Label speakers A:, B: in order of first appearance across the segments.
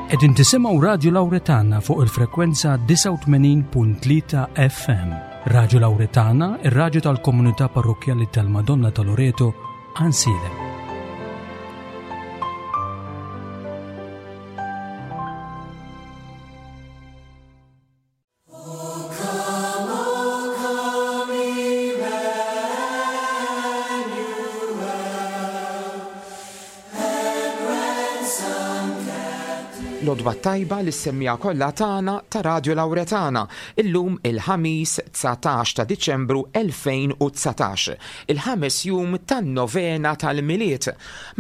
A: Qegħdin tisimgħu Radju Lawretana fuq il-frekwenza 89.3 FM. Radju Lawretana, ir-radju tal-komunità parrokkjali tal-Madonna ta' Loreto, Ansilem.
B: L-għodwa t-tajba lis-semmiegħa kollha tagħna ta' Radio Lauretana, illum il-Ħamis 19 ta' Diċembru 2019, il-ħames jum tan-novena tal-Milied.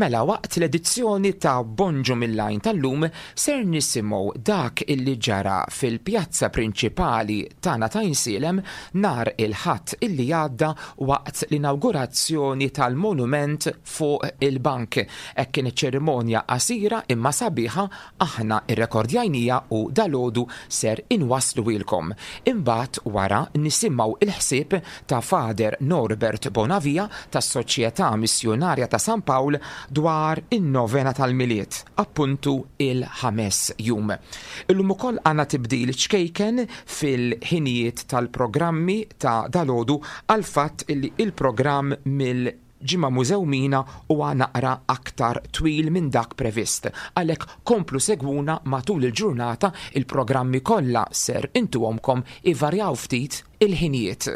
B: Mela waqt l-edizzjoni ta' Bonġu mill-Għajn tal-lum ser nisimgħu dak illi ġara fil-pjazza prinċipali tagħna t'Għajnsielem nhar il-Ħadd illi għadda waqt l-inawgurazzjoni tal-monument fuq il-bank. Hekk kienet ċerimonja qasira imma sabiħa aħna rrekordjajniha u dalgħodu ser inwassluhielkom. Imbagħad wara nisimgħu l-ħsieb ta' Father Norbert Bonavia tas-Soċjetà Missjunarja ta' San Pawl dwar in-Novena tal-Milied, appuntu il-ħames jum. Illum ukoll għandna tibdil ċkejken fil-ħinijiet tal-programmi ta' dalgħodu għall-fatt illi il-programm mill Ġimgħa Mużew Mina huwa naqra aktar twil minn dak previst. Għalhekk komplu segwuna matul il-ġurnata, il-programmi kollha ser intuhomkom ivarjaw ftit il-ħinijiet.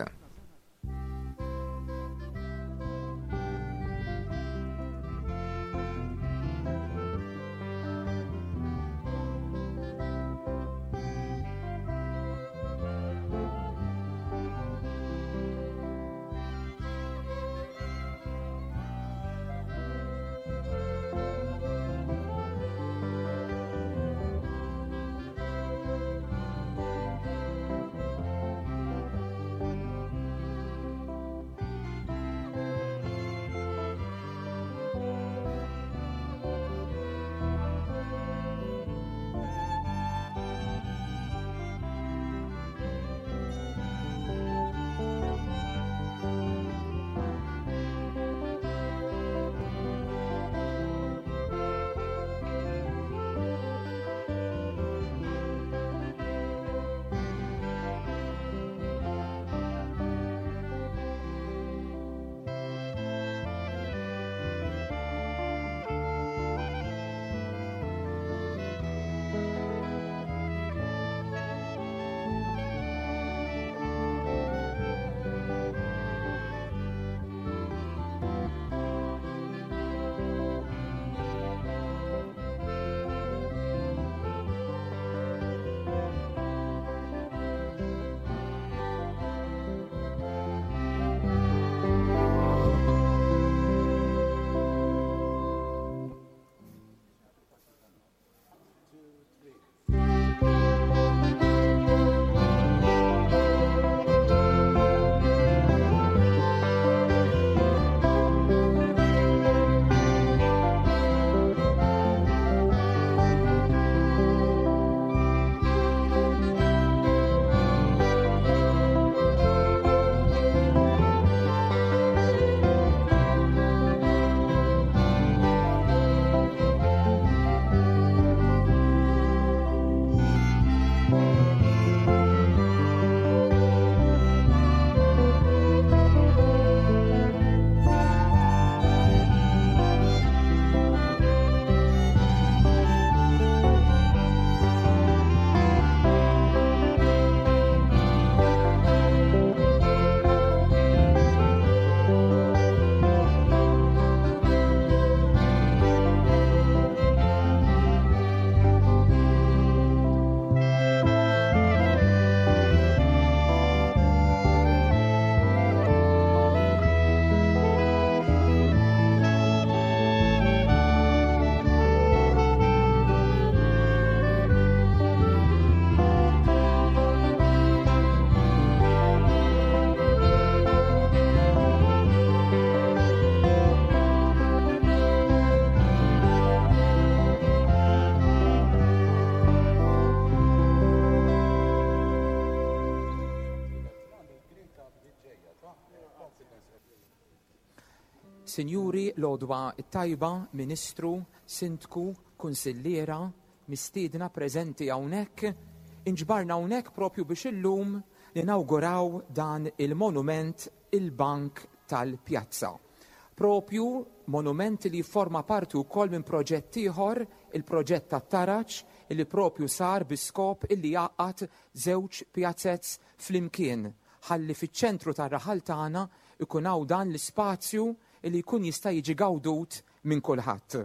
B: Sinjuri, l-għodwa t-tajba, Ministru, Sindku, Kunsilliera, mistiedna preżenti hawnhekk. Inġbarna hawnhekk propju biex illum ninawguraw dan il-monument il-Bank tal-Pjazza. Propju monument li jifforma parti wkoll minn proġett ieħor, il-proġett tat-taraġ, illi propju sar bi skop illi jgħaqqad żewġ pjazez flimkien ħalli fiċ-ċentru tar-raħal tagħna jkun hawn dan l-ispazju illi jkun jista' jiġi gawdut minn kulħadd.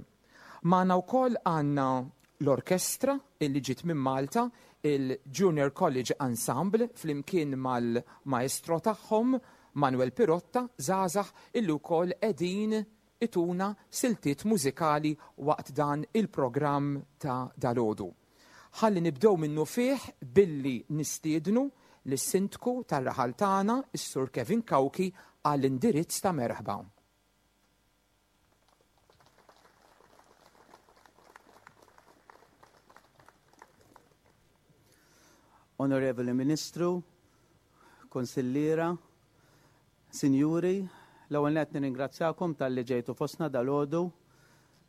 B: Magħna wkoll għandna l-orkestra illi ġiet minn Malta, il-Junior College Ensemble flimkien mal-maestro tagħhom Manuel Pirotta, żgħażagħ illi wkoll qegħdin ituna siltiet mużikali waqt dan il-programm ta' dalgħodu. Ħalli nibdew minnufih billi nistiednu lis-Sindku tar-raħal tagħna, is-Sur Kevin Cauchi, għall-indirizz ta' merħba.
C: Onorevoli Ministru, Kunsilliera, Sinjuri, l-ewwel nett nirringrazzjakom talli ġejtu fostna dalgħodu.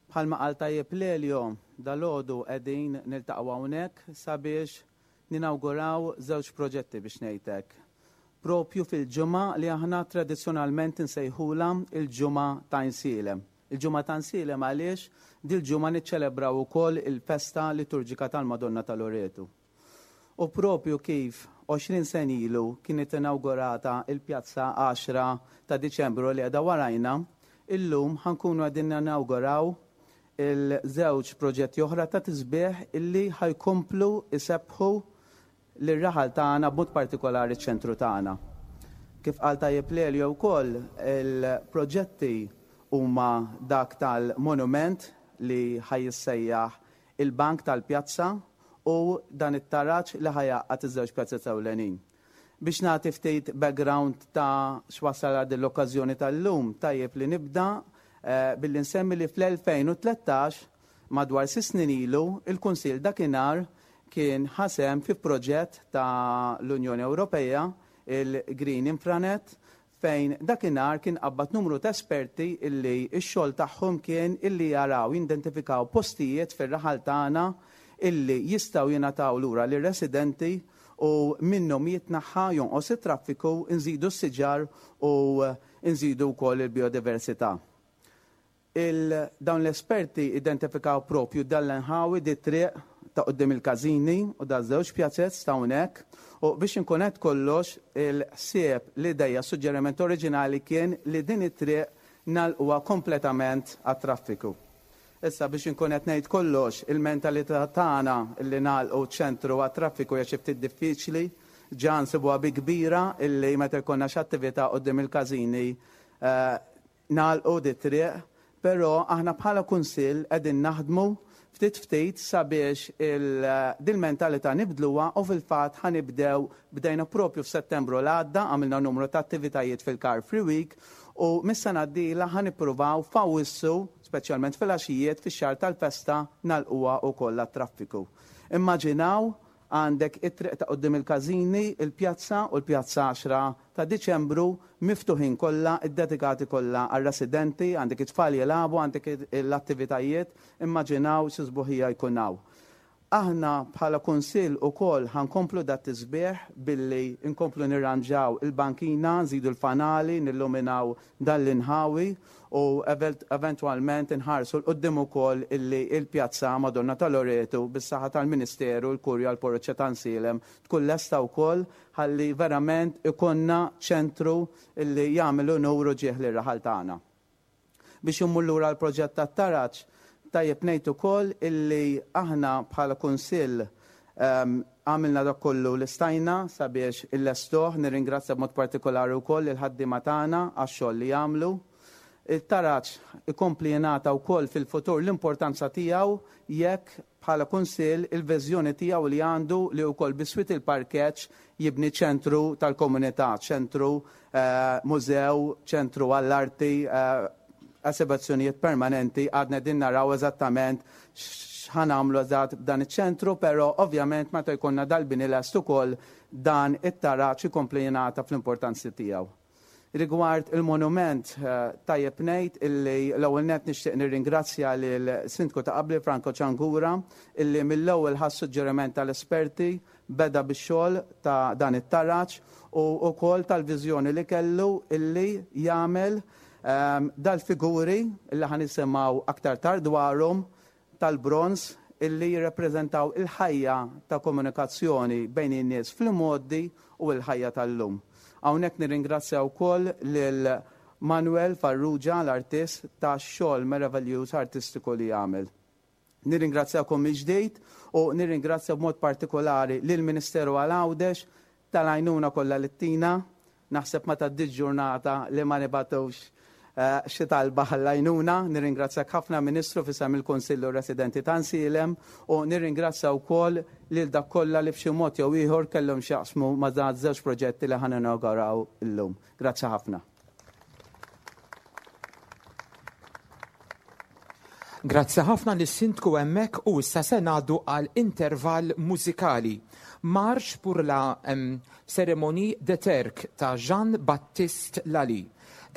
C: Bħalma qal tajjeb Lelio, dalgħodu qegħdin niltaqgħu hawnhekk sabiex ninawguraw żewġ proġetti biex ngħid hekk. Propju fil-ġimgħa li aħna tradizzjonalment insejħulha il-Ġimgħa ta' Għajnsielem. Il-Ġimgħa ta' Għajnsielem għaliex dil-ġimgħa niċċelebraw ukoll il-festa liturġika tal-Madonna ta' Loretu. U propju kif 20 sena ilu kienet inawgurata il-pjazza 10 ta' Diċembru li qiegħda warajna, illum ħa nkunu qegħdin ninawguraw il-żewġ proġetti oħra ta' tisbiħ illi ħa jkomplu jsebbħu lir-raħal tagħna b'mod partikolari ċ-ċentru tagħna. Kif qal tajjeb Lelio wkoll, il-proġetti huma dak tal-monument li ħa jissejjaħ il-Bank tal-Pjazza u dan it-taraġ li ħa jgħaqqad iż-żewġ pjazez ewlenin. Biex nagħti ftit background ta' x'wassal għal din l-okkażjoni tal-lum, tajjeb li nibda billi nsemmi li fl-2013, madwar sitt snin ilu, il-Kunsill dakinhar kien ħa sehem fi proġett ta' l-Unjoni Ewropea, il-Green Infranet, fejn dakinhar kien qabbad numru ta' esperti illi x-xogħol tagħhom kien illi jaraw, jindentifikaw postijiet fir-raħal tagħna illi jistgħu jingħataw lura lir-residenti u minnhom jitnaħħa, jonqos it-traffiku, inżidu s-siġar u nżidu wkoll il-bijodiversità. Il, dawn l-esperti identifikaw propju dan l-inħawi, di triq ta' quddiem il-każini u da żewġ pjazez ta' hawnhekk u biex inkun għedt kollox il-ħsieb, l-ideja, suġġeriment oriġinali kien li din it-triq nagħlquha kompletament għat-traffiku. Issa biex inkun qed ngħid kollox, il-mentalità tagħna li nagħlqu ċentru għat-traffiku hija xi ftit diffiċli, ġa nsibuha bi kbira illi meta jkollna xi attività quddiem il-każini nagħlqu dit-triq, però aħna bħala kunsill qegħdin naħdmu ftit ftit sabiex dil-mentalità nibdluha u fil-fatt ħa nibdew, bdejna propju f'Settembru l għadda, għamilna numru ta' attivitajiet fil-Car Free Week u mis-sena d-dieħla ħa nippruvaw f'Awwissu, speċjalment fil-għaxijiet fix-xahar tal-festa, nagħlquha wkoll għat-traffiku. Immaġinaw għandek it-triq ta' quddiem il-każini, il-pjazza u l-pjazza 10 ta' Diċembru miftuħin kollha, iddedikati kollha għar-residenti, għandek it-tfal jilagħbu, għandek l-attivitajiet, immaġinaw xi sbuħija jkun hawn. Aħna bħala kunsill ukoll ħa nkomplu dat-tisbiħ billi nkomplu nirranġaw il-bankina, nżidu l-fanali, nilluminaw dan l-inħawi u eventwalment inħarsu 'l quddiem ukoll illi l-pjazza Madonna ta' Loretu bis-saħħa tal-Ministeru, l-Kurja, l-Parroċċa ta' Nsielem tkun lesta wkoll ħalli verament ikollna ċentru illi jagħmel unur u ġieħ lir-raħal tagħna. Biex immur lura għall-proġett tat-taraġ, tajjeb ngħid ukoll illi aħna bħala Kunsill għamilna dak kollu li stajna sabiex illestuh, nirringrazzja b'mod partikolari wkoll lill-ħaddiema tagħna għax-xogħol li jagħmlu. Il-taraġ ikompli jingħata wkoll fil-futur l-importanza tiegħu jekk bħala Kunsill il-viżjoni tiegħu li għandu li wkoll biswit il-parkeġġ jibni ċentru tal-komunità, ċentru mużew, ċentru għall-arti, esibizzjonijiet permanenti, għadna din naraw eżattament x'ħa nagħmlu eżatt b'dan iċ-ċentru, però ovvjament meta jkollna dal-bini lest ukoll dan it-taraġ ikompli jingħata fl-importanza tiegħu. Rigward il-monument, tajjeb ngħid illi l-ewwel nett nixtieq nirringrazzja lil Sindku ta' qabli Franco Ciangura illi mill-ewwel ħa s-suġġeriment tal-esperti, beda bix-xogħol ta' dan it-taraġ u wkoll tal-viżjoni li kellu illi jagħmel dal-figuri illi ħa nisimgħu aktar tard dwarhom tal-bronż illi jirrappreżentaw il-ħajja ta' komunikazzjoni bejn in-nies fl-imgħoddi u l-ħajja tal-lum. Hawnhekk nirringrazzja wkoll lil Manuel Farrugia, l-artist, tax-xogħol meraviljuż artistiku li għamel. Nirringrazzjakom mill-ġdid u nirringrazzja b'mod partikolari lill-Ministeru għal Għawdex tal-għajnuna kollha li ttina. Naħseb ma tgħaddix ġurnata li ma nibgħatux xi talba għall-għajnuna. Nirringrazzjak ħafna Ministru f'isem il-Kunsill u r-residenti ta' Nsielem u nirringrazzja wkoll lil dak kollha li b'xi mod jew ieħor kellhom x'jaqsmu ma' dan żewġ proġetti li ħa ninawguraw illum. Grazzi ħafna.
B: Grazzi ħafna lis-Sindku hemmhekk u issa se ngħaddu għal intervall mużikali. Marche pour la Cérémonie de Terk ta' Jean Baptiste Lally.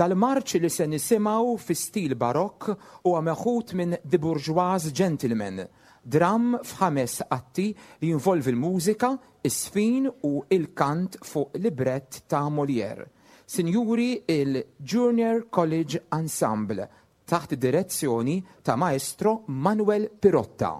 B: Dal-marċ li se nisimgħu fi stil barokk huwa meħud minn The Bourgeois Gentleman, dramm f'ħames atti li jinvolvi l-mużika, iż-żfin u l-kant fuq librett ta' Molière. Sinjuri il-Junior College Ensemble taħt id-direzzjoni ta' Maestro Manuel Pirotta.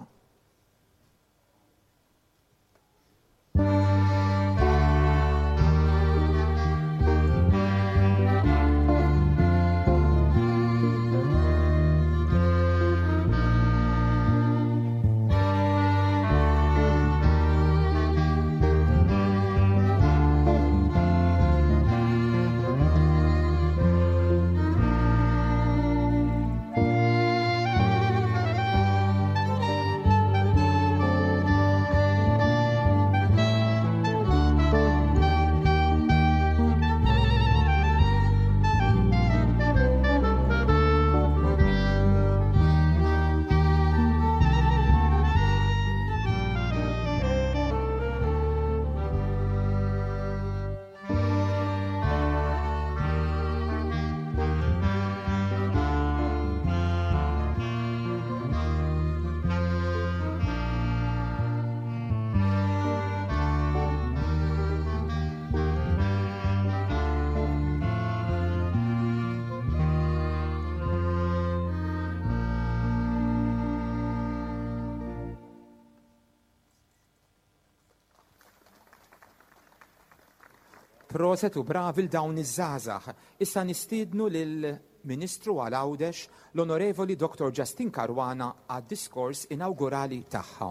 B: Proset u bravi 'l dawn iż-żgħażagħ. Issa nistiednu lil Ministru għal Għawdex, l-Onorevoli Dottor Justyne Caruana għad-diskors inawgurali tagħha.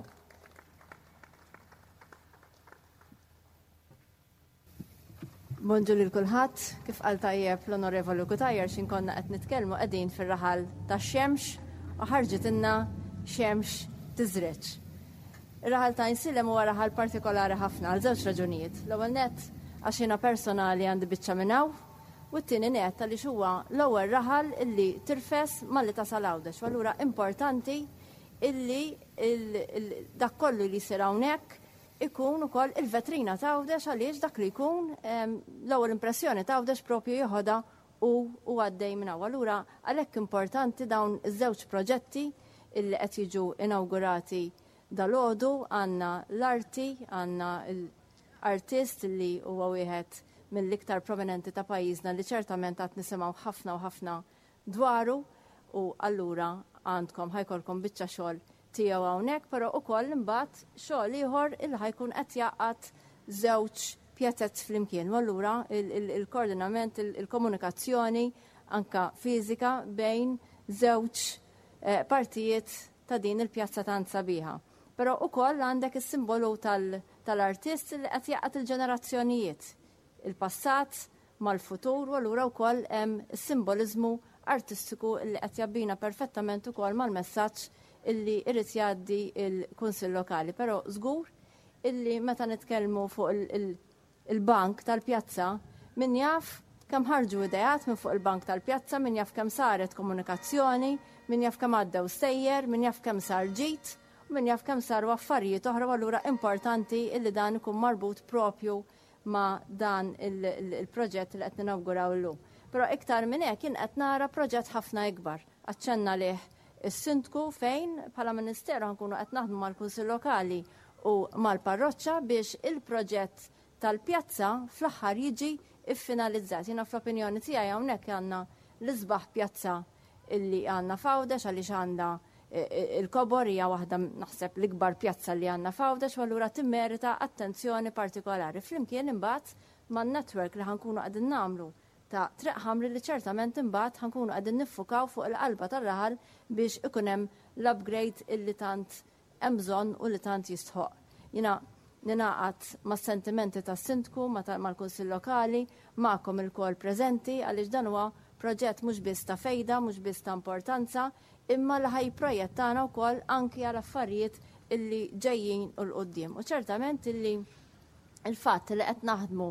D: Bonġu lil kulħadd, kif qal tajjeb l-Onorevoli Cutajar x'in konna qed nitkellmu qegħdin fir-raħal tax-xemx u ħarġitilna xemx tiżreġ. Ir-raħal ta' Għajnsielem huwa raħal partikolari ħafna għal żewġ raġunijiet. L-ewwel nett għax jiena personali għandi biċċa minn hawn u t-tieni nett għaliex huwa l-ewwel raħal illi tirfes malli tasal Għawdex u allura importanti illi dak kollu li jsir hawnhekk ikun ukoll il-vetrina ta' Għawdex għaliex dak li jkun l-ewwel impressjoni ta' Għawdex propju jeħodha u u għaddej minn hawn. Allura għalhekk importanti dawn iż-żewġ proġetti illi qed jiġu inawgurati dalgħodu għandna l-arti, għandna l-artist li huwa wieħed mill-iktar prominenti ta' pajjiżna li ċertament għad nisimgħu ħafna u ħafna dwaru u allura għandkom ħa jkollkom biċċa xogħol tiegħu hawnhekk, però ukoll imbagħad xogħol ieħor il ħa jkun qed jgħaqqad żewġ pjazez flimkien. U allura il-koordinament, il-komunikazzjoni anka fiżika bejn żewġ eh, partijiet ta' din il-pjazza tant sabiħa. Però ukoll għandek is-simbolu tal-artist li qed jgħaqqad il-ġenerazzjonijiet il-passat mal-futur u allura wkoll hemm is-simboliżmu artistiku li qed jabbina perfettament ukoll mal-messaġġ illi jrid jgħaddi l-Kunsill Lokali. Però żgur illi meta nitkellmu fuq il-bank tal-pjazza, min jaf kemm ħarġu ideat minn fuq il-bank tal-pjazza, min jaf kemm saret komunikazzjoni, min jaf kemm għaddew stejjer, min jaf kemm sar ġid, u min jaf kemm saru affarijiet oħra u allura importanti illi dan ikun marbut propju ma' dan il-proġett li qed ninawguraw illum. Però iktar minn hekk jien qed nara proġett ħafna ikbar. Aċċenna lih is-Sindku fejn bħala Ministeru ħa nkunu qed naħdmu mal-Kunsill Lokali u mal-Parroċċa biex il-proġett tal-pjazza fl-aħħar jiġi ffinalizzat. Jiena fl-opinjoni tiegħi hawnhekk għandna l-isbaħ pjazza illi għandna f'Għawdex għaliex għandha il-kobor hija waħda naħseb l-ikbar pjazza li għandna f'Għawdex u allura timmerita attenzjoni partikolari. Flimkien imbagħad man-network li ħa nkunu qegħdin nagħmlu ta' Triq Ħamri li ċertament imbagħad ħa nkunu qegħdin niffukaw fuq il-qalba tar-raħal biex ikun hemm l-upgrade illi tant hemm bżonn u li tant jistħoqq. Jiena ningħaqad mas-sentimenti tas-Sindku, mal-Kunsill Lokali, magħkom ilkoll preżenti għaliex dan huwa proġett mhux biss ta' fejda, mhux biss ta' importanza, imma li ħa jipprojettana wkoll anki għal affarijiet illi ġejjin u 'l quddiem. U ċertament illi il-fatt li qed naħdmu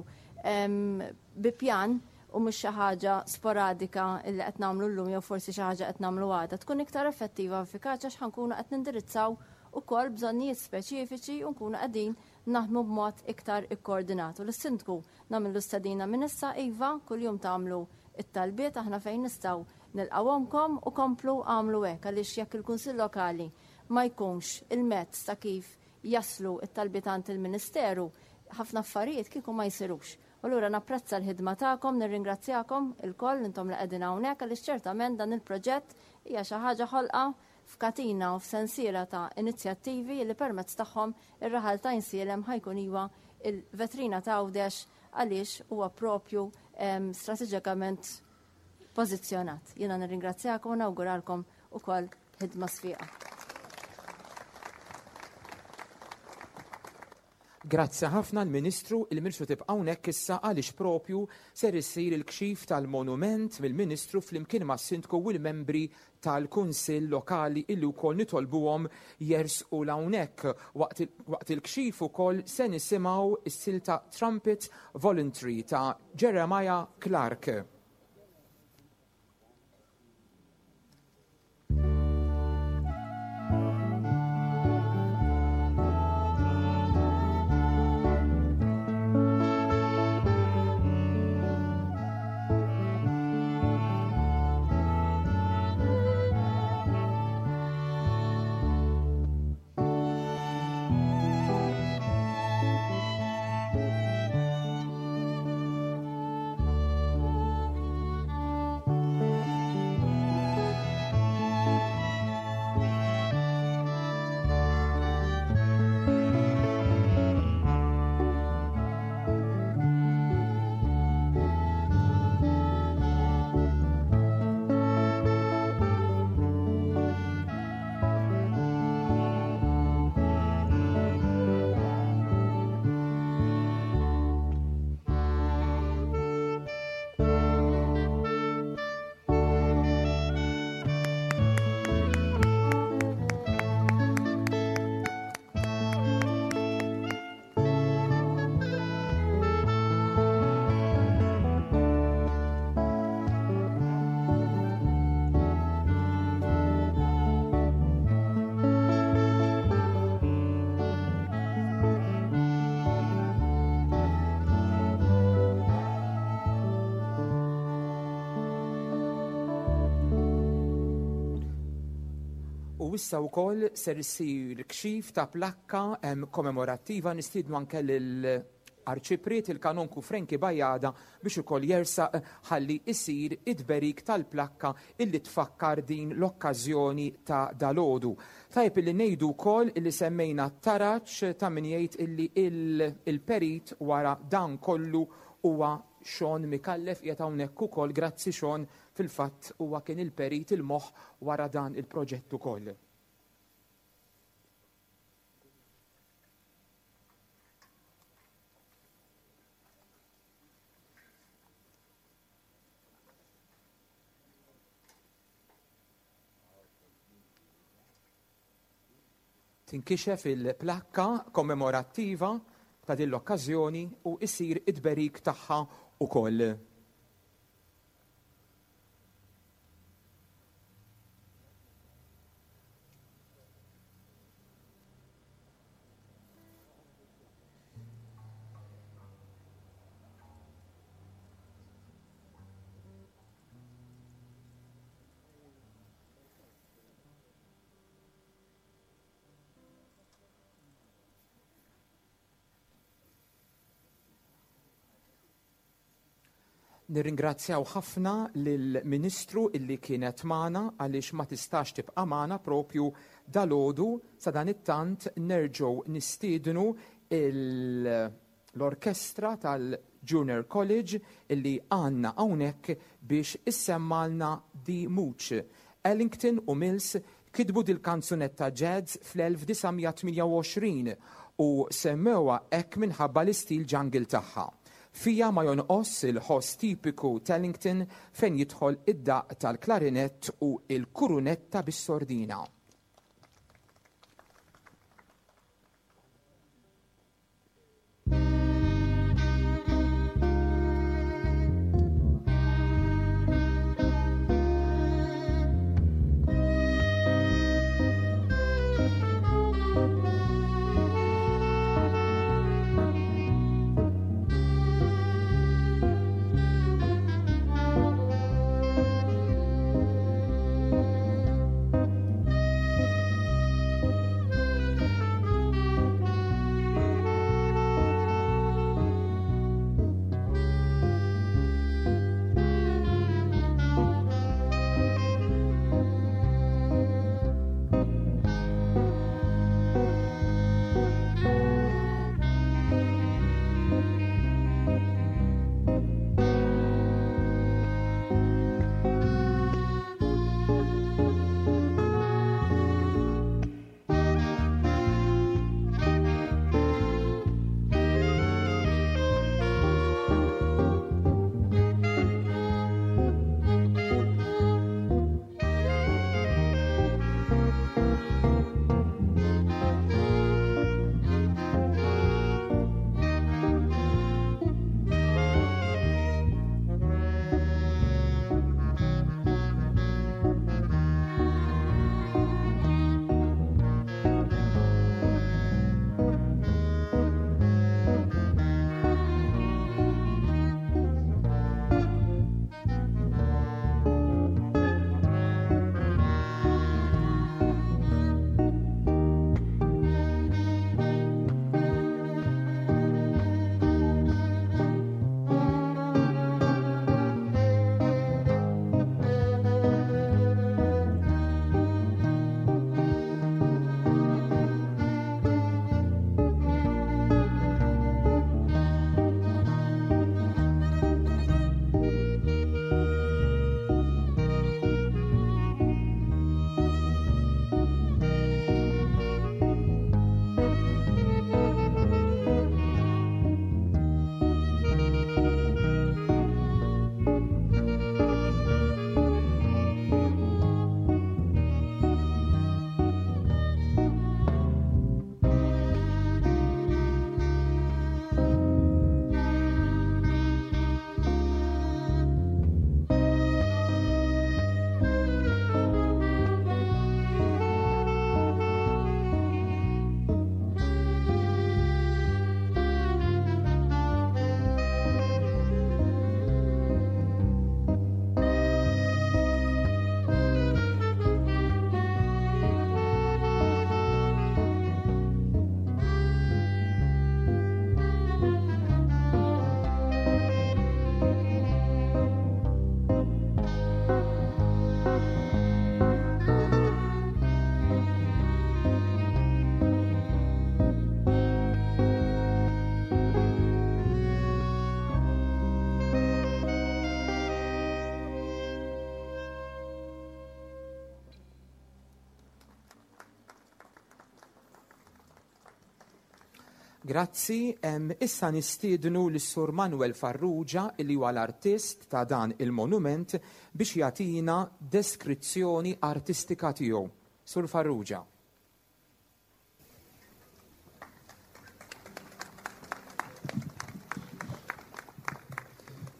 D: bi pjan u mhux xi ħaġa sporadika li qed nagħmlu llum jew forsi xi ħaġa qed nagħmlu għada, tkun iktar effettiva u effikaċi għax ħankunu qed nindirizzaw ukoll bżonnijiet speċifiċi u nkunu qegħdin naħdmu b'mod iktar ikkoordinat. U lis-Sindku nagħmillu stedina minn issa, iva, kuljum tagħmlu t-talbiet, aħna fejn nistgħu nilqgħuhomkom u komplu agħmlu hekk għaliex jekk il-Kunsill Lokali ma jkunx il-mezz ta' kif jaslu t-talbiet għand il-Ministeru, ħafna affarijiet kieku ma jsirux. U allura napprezza l-ħidma tagħkom, nirringrazzjakom ilkoll intom li qegħdin hawnhekk għaliex ċertament dan il-proġett hija xi ħaġa ħolqa f'katina u f'sensiela ta' inizjattivi li permezz tagħhom ir-raħal ta' Għajnsielem ħa jkun iwa il-vetrina ta' Għawdex għaliex huwa propju strateġikament pożizzjonat. Jiena nirringrazzjakom u nawguralkom ukoll ħidma sfiqa.
B: Grazzi ħafna l-Ministru, il-Ministru tibqa' hawnhekk issa għaliex propju ser isir il-kxif tal-monument mill-Ministru flimkien mas-Sindku u l-membri tal-Kunsill Lokali illi wkoll nitolbuhom jersqu 'l hawnhekk. Waqt il-kxif ukoll se nisimgħu s-silta Trumpet Voluntary ta' Jeremiah Clarke. U issa wkoll ser issir kxif ta' plakka kommemorattiva nistiednu anke lil Arċipriet il-Kanonku Frankie Bajada biex ukoll jersaq ħalli jsir it-tberik tal-plakka illi tfakkar din l-okkażjoni ta' dalgħodu. Tajjeb illi ngħidu wkoll illi semmejna t-taraġ ta' min jgħid illi il-perit wara dan kollu huwa Sean Micallef qiegħed hawnhekk ukoll. Grazzi Sean, fil-fatt huwa kien il-perit il-moħħ wara dan il-proġett ukoll. Tinkixef il-plakka kommemorattiva ta' din l-okkażjoni u jsir it-tberik tagħha wkoll. Nirringrazzjaw ħafna lill-Ministru illi kienet magħna għaliex ma tistax tibqa' magħna propju dalgħodu. Sadanittant nerġgħu nistiednu l-orkestra tal-Junior College illi għandna hawnhekk biex issemmgħalna The Mooch. Ellington u Mills kitbu dil-kanzunetta jazz fl-1928 u semmewha hekk minħabba l-istil jungle tagħha. Fiha ma jonqosx il-ħoss tipiku t'Ellington fejn jidħol id-daqq tal-klarinett u l-kurunetta bis-sordina. Grazzi, issa nistiednu lis-Sur Manuel Farrugia li huwa l-artist ta' dan il-monument biex jagħtina deskrizzjoni artistika tiegħu. Sur Farrugia.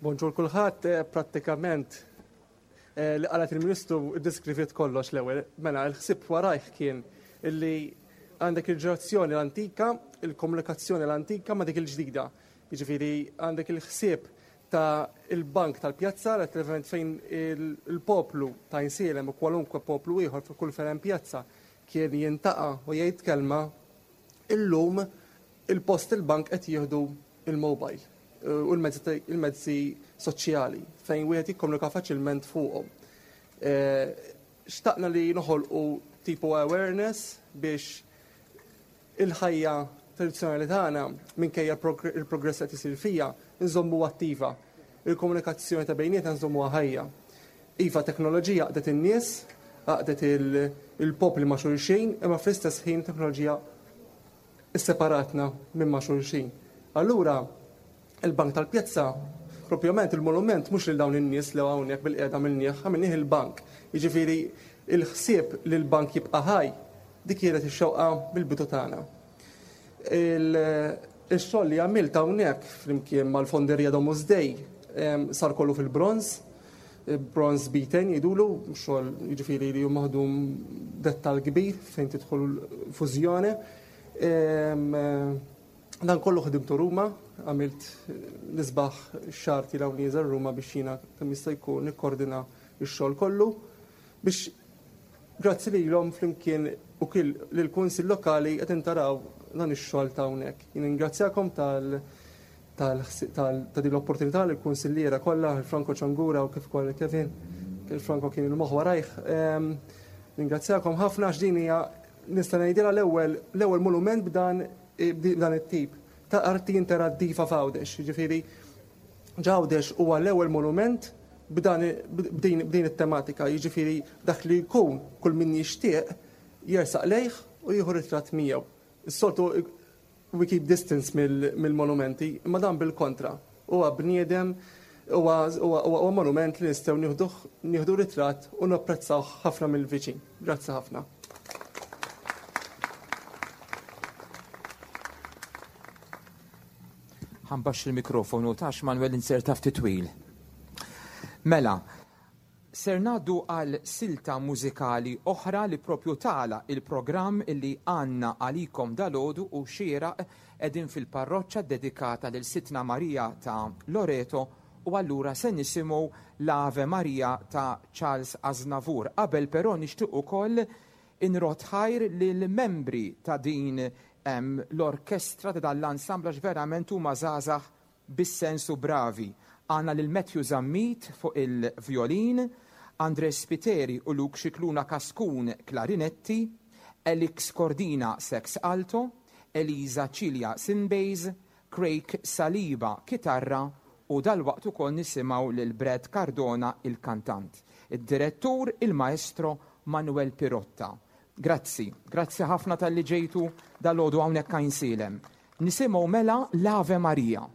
E: Bonġur kulħadd, eh, prattikament eh, li qalet il-Ministru iddeskriviet kollox l-ewwel. Mela, l-ħsieb warajh kien illi għandek il-ġenerazzjoni l-antika, il-komunikazzjoni l-antika ma' dik il-ġdida. Jiġifieri għandek il-ħsieb ta' il-bank tal-pjazza, letteralment fejn il-poplu ta' Insielem u kwalunkwe poplu ieħor fi kull fejn hemm pjazza kien jintaqa' u jgħid kelma, illum il-post il-bank qed jieħdu il-mobile. u l-mezzi soċjali fejn wieħed jikkomunika faċilment fuqhom. Xtaqna li noħolqu tipo awareness biex il-ħajja tradizzjonali tagħna minkejja l-progress qed isir fija nżommuha attiva. Il-komunikazzjoni ta' bejnietna nżommuha ħajja. Iva, teknoloġija għaqdet in-nies, għaqdet il-popli ma' xulxin, imma fl-istess ħin teknoloġija sseparatna minn ma' xulxin. Allura, il-Bank tal-Pjazza, propjament il-monument mhux lil dawn in-nies li hawnhekk bilqiegħda għamilnieh, għamilnieh il-bank. Jiġifieri il-ħsieb li l-bank jibqa' ħaj, dik kienet ix-xewqa mill-bidu tagħna. Il-xogħol li għamilt hawnhekk flimkien mal-Fonderija Domus Dei sar kollu fil-bronż, bronż beaten jgħidulu, xogħol jiġifieri li hu maħdum dettal kbir fejn tidħol fużjoni. Dan kollu ħdimtu Ruma, għamilt l-isbaħ xahar tielgħu nieżel Ruma biex jiena kemm jista' jkun nikkordina x-xogħol kollu biex grazzi lilhom flimkien u kil lill-Kunsill Lokali qed intaraw dan ix-xogħol ta' hawnhekk. Jien ningrazzjakom tal tal ta' din l-opportunità lill-kunsilliera kollha, il-Franco Ciangura u kif ukoll Kevin, il-Franco kien il-moħħ warajh. Ningrazzjakom ħafna għax din hija nista' ngħidilha l-ewwel l-ewwel monument b'dan b'dan it-tip ta' arti interattiva f'Għawdex. Jiġifieri Ġawdex huwa l-ewwel monument b'dan b'din it-tematika, jiġifieri dak li jkun kull min jixtieq jersaq lejh u jieħu ritratt miegħu. Is-soltu we keep distance mill-monumenti, imma dan bil-kontra. Huwa bniedem, huwa monument li nistgħu nieħduh nieħdu ritratt u napprezzawh ħafna mill-viċin. Grazzi ħafna.
B: Ħa nbaxxi l-mikrofonu tax Manuel inserta ftit twil. Mela, ser ngħaddu għal silta mużikali oħra li propju tagħlaq il-programm illi għandna għalikom dalgħodu u xieraq qegħdin fil-parroċċa ddedikata lil Sidtna Marija ta' Loreto u allura se nisimgħu l-Ave Maria ta' Charles Aznavour. Qabel però nixtieq ukoll Inrodd ħajr lill-membri ta' din l-orkestra, ta' dan l-ensemble għax verament huma żgħażagħ bis-sens u bravi. Għandna lil Matthew Zammit fuq il-vjolin, André Spiteri u Luke Scicluna Cascun klarinetti, Alex Cordina sax alto, Elisa Cilia synbass, Craig Saliba kitarra u dalwaqt ukoll nisimgħu lil Brad Cardona il-kantant. Id-direttur il-Maestro Manuel Pirotta. Grazzi, grazzi ħafna talli ġejtu dalgħodu hawnhekk Għajnsielem. Nisimgħu mela l-Ave Maria.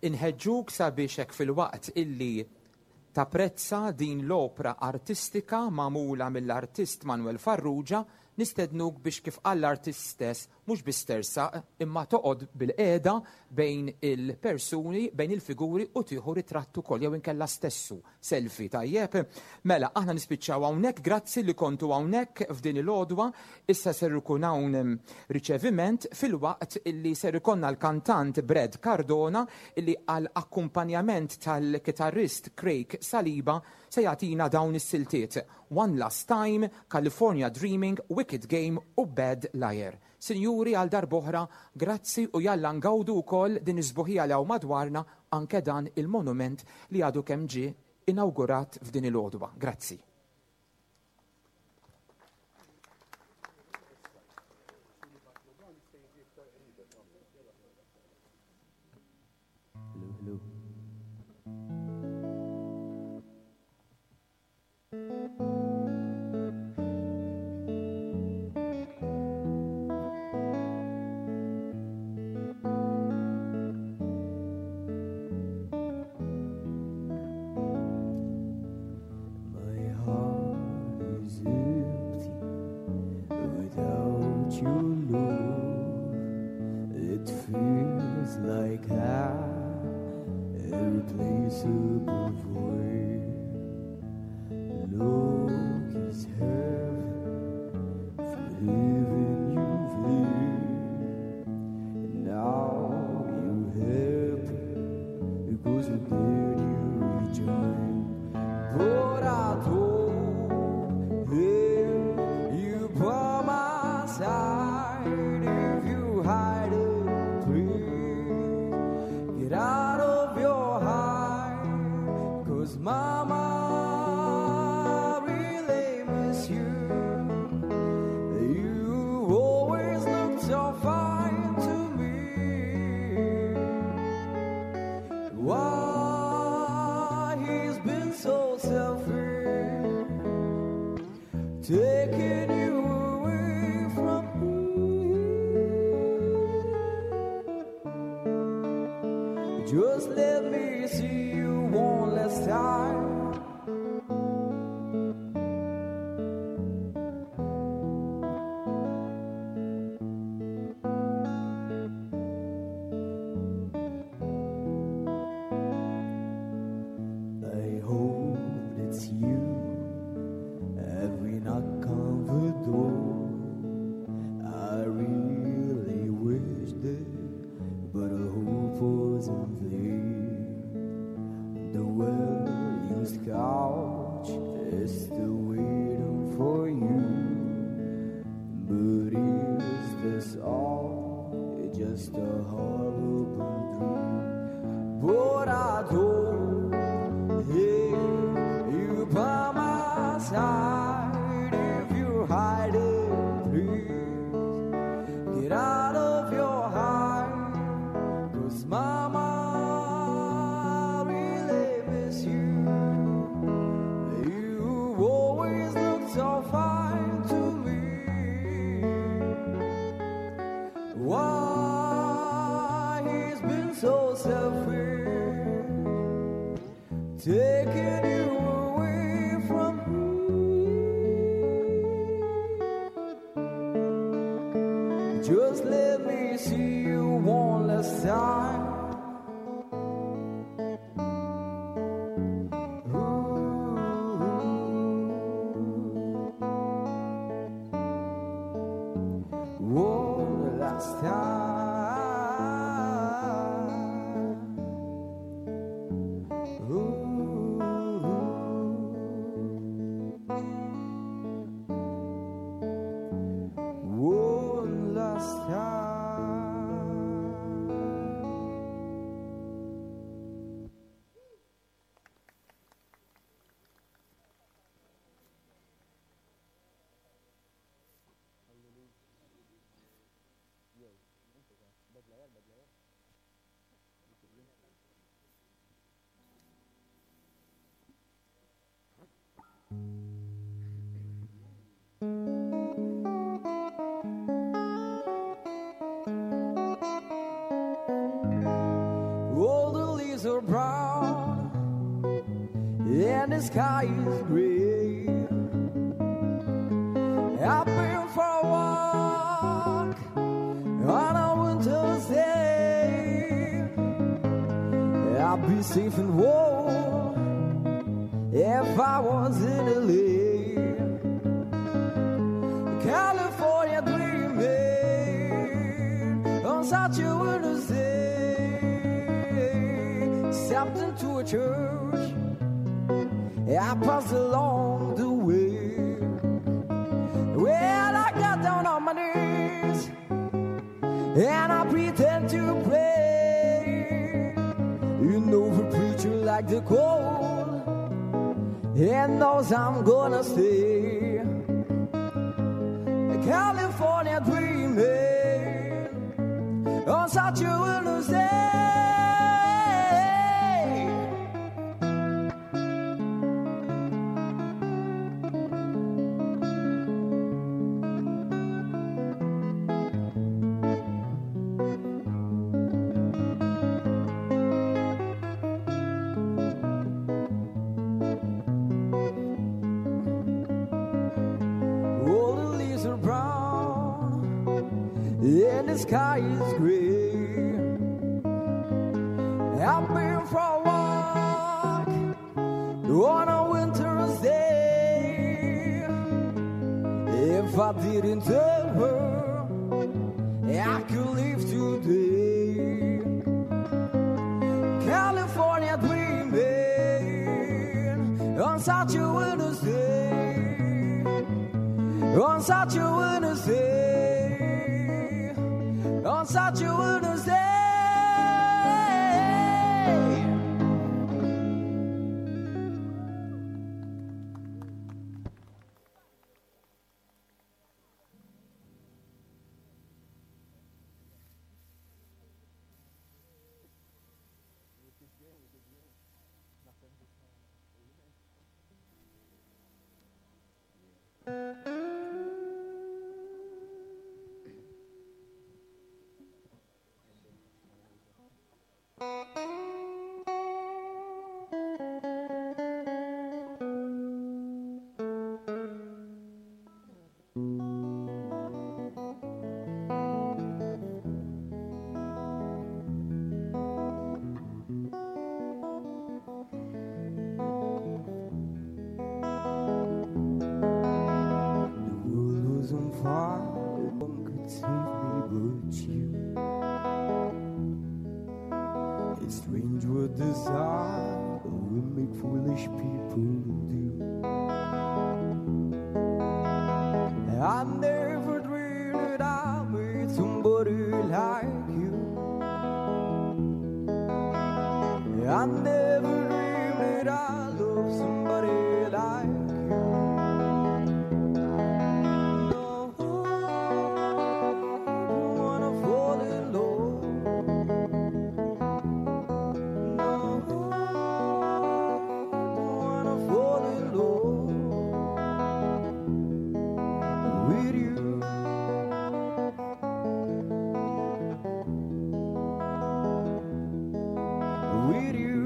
B: Inħeġġuk sabiex hekk filwaqt illi tapprezza din l-opra artistika magħmula mill-artist Manuel Farrugia, nistednuk biex kif qal l-artist stess mhux biss tersaq imma toqgħod bilqiegħda bejn il-persuni, bejn il-figuri u tieħu ritratt ukoll jew inkella stessu selfie, tajjeb? Mela, aħna nispiċċaw hawnhekk, grazzi li kontu hawnhekk f'din il-għodwa, issa ser ikun hawn riċeviment filwaqt illi ser ikollna l-kantant Brad Cardona illi għal akkumpanjament tal-kitarrist Craig Saliba se jagħtina dawn is-siltiet, One Last Time, California Dreaming, Wicked Game u Bad Liar. Sinjuri għal darb'oħra grazzi u jalla ngawdu wkoll din is-sbuħija li hawn madwarna anke dan il-monument li għadu kemm ġie inawgurat f'din il-għodwa. Grazzi.
F: My heart is empty without your love. It feels like an irreplaceable void. Look is heaven for heaven you've lived. Now you're happy because we did you rejoin. But I don't hear you by my side. If you hide it, please get out of your heart. 'Cause mama really miss you. You always looked so fine to me. Why he's been so selfish, taking you away from me. Just let me see you one last time. I hope it's you every knock on the door. I really wish that, but I hope wasn't there. The well-used couch is still waiting for you. But is this all just a horrible dream? But I don't hear you by my side. If you hide it, please get out of your heart. 'Cause mama really miss you. You always looked so fine to me. Why he's been so selfish, taking you away from me. Just let me see you one last time. One last time. Ooh. One last time. All the are brown and the sky is gray. I've been for a walk on a winter's day. I'd be safe and warm if I was in LA. California dreaming on such a winter's day. Stepped into a church I passed along the way. Well, I got down on my knees and I pretend to pray. You know the preacher like the cold and knows I'm gonna stay. California dreaming on such a winter's day. All the leaves are brown and the sky is gray. I've been for a walk on a winter's day. If I didn't tell her, I could leave today. California dreaming on such a winter's day. On such a winter's day. On such a winter's day. The world was on fire, no one could save me but you. It's strange what desire will make foolish people do. I never dreamed that I'd meet somebody like you. I never dreamed that I'd love somebody like you. No, I don't wanna fall in love. No, I don't wanna fall in love with you. With you.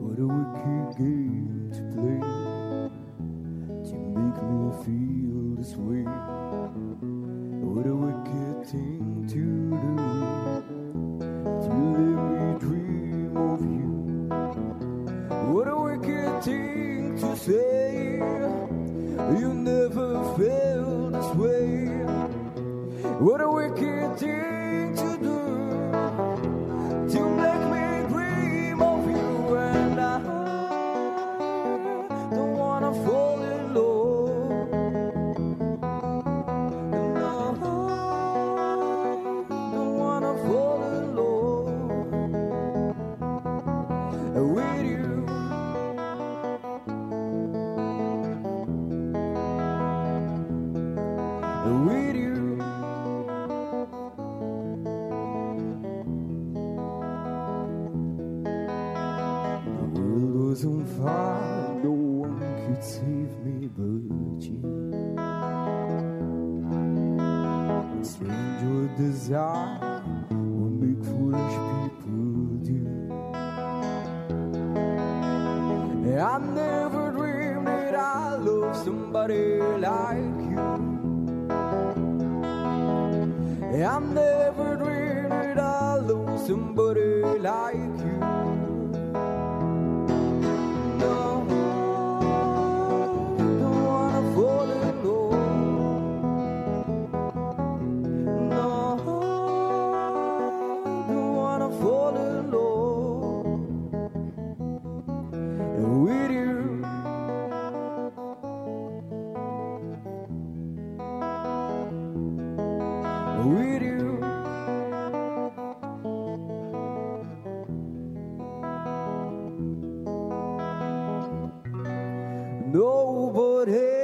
F: What a wicked game to play to make me feel this way. What a wicked thing to do to let me dream of you. What a wicked thing to say. You never felt this way. What a wicked thing to do to make me dream of you. And I don't wanna fall in love. No, I don't wanna fall in love with you. With you. desire will make foolish people do. I never dreamed that I'd love somebody like you. I never dreamed that I'd love somebody like you. No, don't wanna fall in love. No, don't wanna fall in love with you. With you. Nobody.